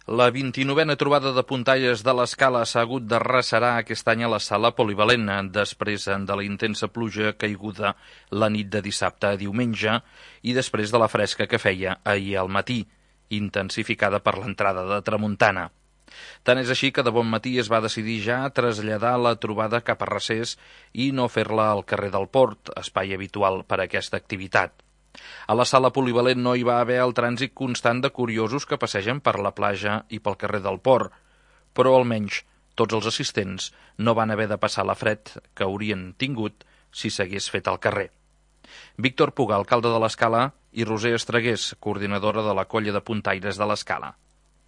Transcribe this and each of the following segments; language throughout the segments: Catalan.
La 29a trobada de puntaires de l'Escala s'ha hagut de recerar aquest any a la sala polivalent després de la intensa pluja caiguda la nit de dissabte a diumenge i després de la fresca que feia ahir al matí, intensificada per l'entrada de tramuntana. Tant és així que de bon matí es va decidir ja traslladar la trobada cap a Recés i no fer-la al carrer del Port, espai habitual per a aquesta activitat. A la sala polivalent no hi va haver el trànsit constant de curiosos que passegen per la platja i pel carrer del Port, però almenys tots els assistents no van haver de passar la fred que haurien tingut si s'hagués fet al carrer. Víctor Puga, alcalde de l'Escala, i Roser Estregués, coordinadora de la colla de puntaires de l'Escala.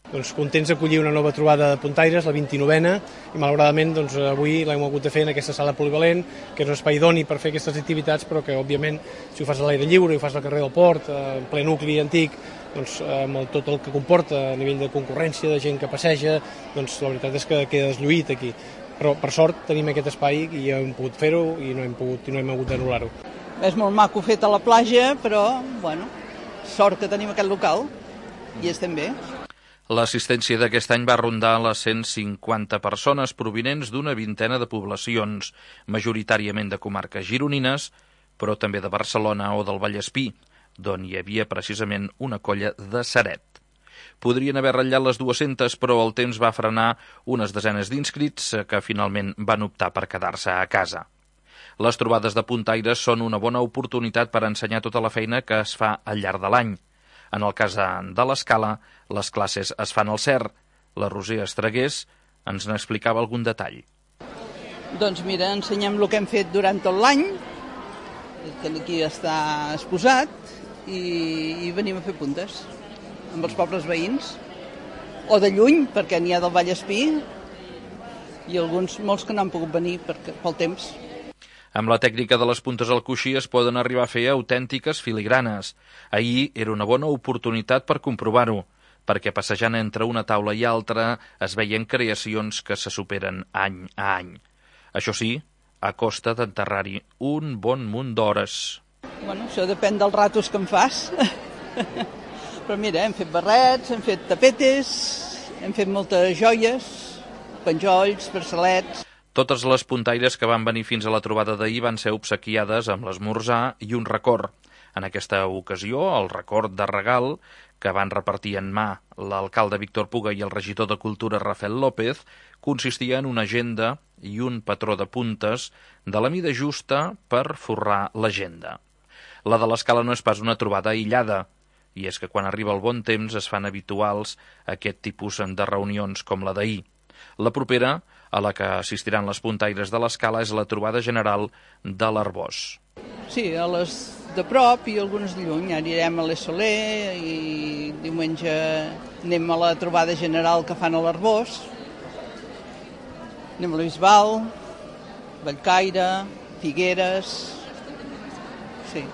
Doncs contents d'acollir una nova trobada de puntaires, la 29a, i malauradament avui l'hem hagut de fer en aquesta sala polivalent, que és un espai idoni per fer aquestes activitats, però que òbviament si ho fas a l'aire lliure, ho fas al carrer del Port, en ple nucli antic, doncs amb tot el que comporta a nivell de concurrència, de gent que passeja, doncs la veritat és que queda deslluït aquí. Però per sort tenim aquest espai i hem pogut fer-ho i no hem hagut d'anul·lar-ho. És molt maco fet a la platja, però bueno, sort que tenim aquest local i estem bé. L'assistència d'aquest any va rondar les 150 persones provinents d'una vintena de poblacions, majoritàriament de comarques gironines, però també de Barcelona o del Vallespí, d'on hi havia precisament una colla de Ceret. Podrien haver ratllat les 200, però el temps va frenar unes desenes d'inscrits que finalment van optar per quedar-se a casa. Les trobades de puntaires són una bona oportunitat per ensenyar tota la feina que es fa al llarg de l'any. En el cas de l'Escala, les classes es fan al CER. La Roser Estregués ens n'explicava algun detall. Doncs mira, ensenyem el que hem fet durant tot l'any, que aquí està exposat, i venim a fer puntes amb els pobles veïns, o de lluny, perquè n'hi ha del Vallespí, i molts que no han pogut venir pel temps. Amb la tècnica de les puntes al coixí es poden arribar a fer autèntiques filigranes. Ahir era una bona oportunitat per comprovar-ho, perquè passejant entre una taula i altra es veien creacions que se superen any a any. Això sí, a costa d'enterrar-hi un bon munt d'hores. Bueno, això depèn dels ratos que em fas. Però mira, hem fet barrets, hem fet tapetes, hem fet moltes joies, penjolls, braçalets. Totes les puntaires que van venir fins a la trobada d'ahir van ser obsequiades amb l'esmorzar i un record. En aquesta ocasió, el record de regal que van repartir en mà l'alcalde Víctor Puga i el regidor de Cultura Rafael López consistia en una agenda i un patró de puntes de la mida justa per forrar l'agenda. La de l'Escala no és pas una trobada aïllada, i és que quan arriba el bon temps es fan habituals aquest tipus de reunions com la d'ahir. La propera, a la que assistiran les puntaires de l'Escala, és la trobada general de l'Arbós. Sí, a les de prop i algunes de lluny. Anirem a l'Essoler i diumenge anem a la trobada general que fan a l'Arbós. Anem a la Bisbal, Bellcaire, Figueres... Sí.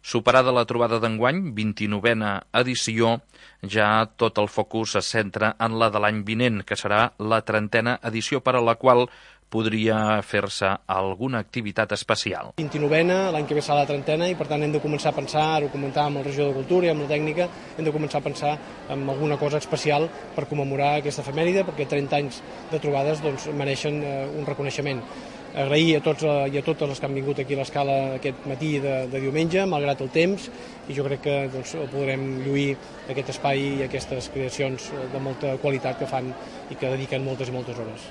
Superada la trobada d'enguany, 29a edició, ja tot el focus es centra en la de l'any vinent, que serà la 30a edició, per a la qual podria fer-se alguna activitat especial. 29a, l'any que ve serà la 30a, i per tant hem de començar a pensar, ho comentàvem amb el regidor de Cultura i amb la tècnica, hem de començar a pensar en alguna cosa especial per commemorar aquesta efemèride, perquè 30 anys de trobades mereixen un reconeixement. Agrair a tots i a totes les que han vingut aquí a l'Escala aquest matí de diumenge, malgrat el temps, i jo crec que podrem lluir aquest espai i aquestes creacions de molta qualitat que fan i que dediquen moltes i moltes hores.